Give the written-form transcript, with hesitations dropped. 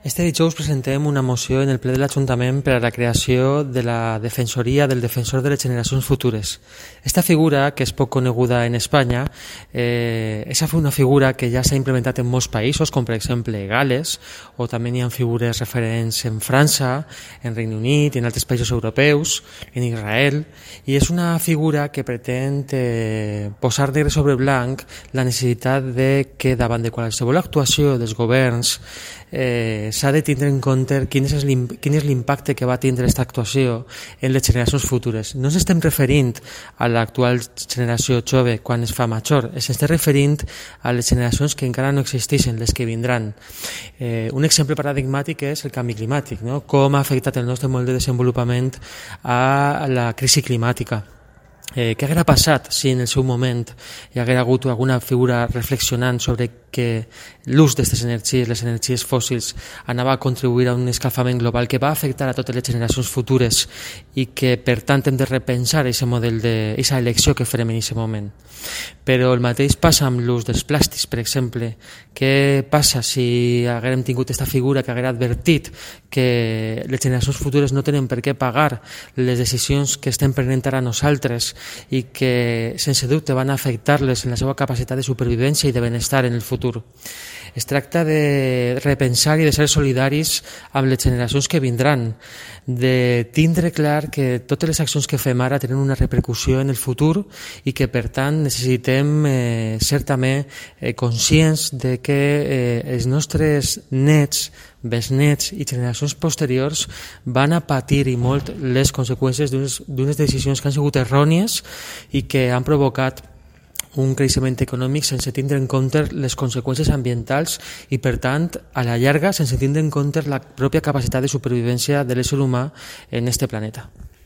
Este dijous presentem una moció en el ple de l'Ajuntament per a la creació de la Defensoria del Defensor de les Generacions Futures. Esta figura, que és poc coneguda en Espanya, és una figura que ja s'ha implementat en molts països, com per exemple Gales, o també hi ha figures referents en França, en Regne Unit, en altres països europeus, en Israel, i és una figura que pretén posar negre sobre blanc la necessitat de que davant de qualsevol actuació dels governs s'ha de tindre en compte quin és l'impacte que va tindre aquesta actuació en les generacions futures. No ens estem referint a l'actual generació jove quan es fa major, ens estem referint a les generacions que encara no existeixen, les que vindran. Un exemple paradigmàtic és el canvi climàtic, no? Com ha afectat el nostre model de desenvolupament a la crisi climàtica. Què hauria passat si en el seu moment hi haguera hagut alguna figura reflexionant sobre que l'ús d'aquestes energies, les energies fòssils, anava a contribuir a un escalfament global que va afectar a totes les generacions futures i que per tant hem de repensar aquest model d'aquesta elecció que farem en aquest moment. Però el mateix passa amb l'ús dels plàstics, per exemple. Què passa si haguérem tingut aquesta figura que haguera advertit que les generacions futures no tenen per què pagar les decisions que estem prenent ara nosaltres i que sense dubte van afectar-les en la seva capacitat de supervivència i de benestar en el futur. Es tracta de repensar i de ser solidaris amb les generacions que vindran, de tindre clar que totes les accions que fem ara tenen una repercussió en el futur i que per tant necessitem ser també conscients de que els nostres nets, besnets i generacions posteriors van a patir i molt les conseqüències d'unes decisions que han sigut errònies i que han provocat un creixement econòmic sense tindre en compte les conseqüències ambientals i, per tant, a la llarga, sense tindre en compte la pròpia capacitat de supervivència de l'ésser humà en este planeta.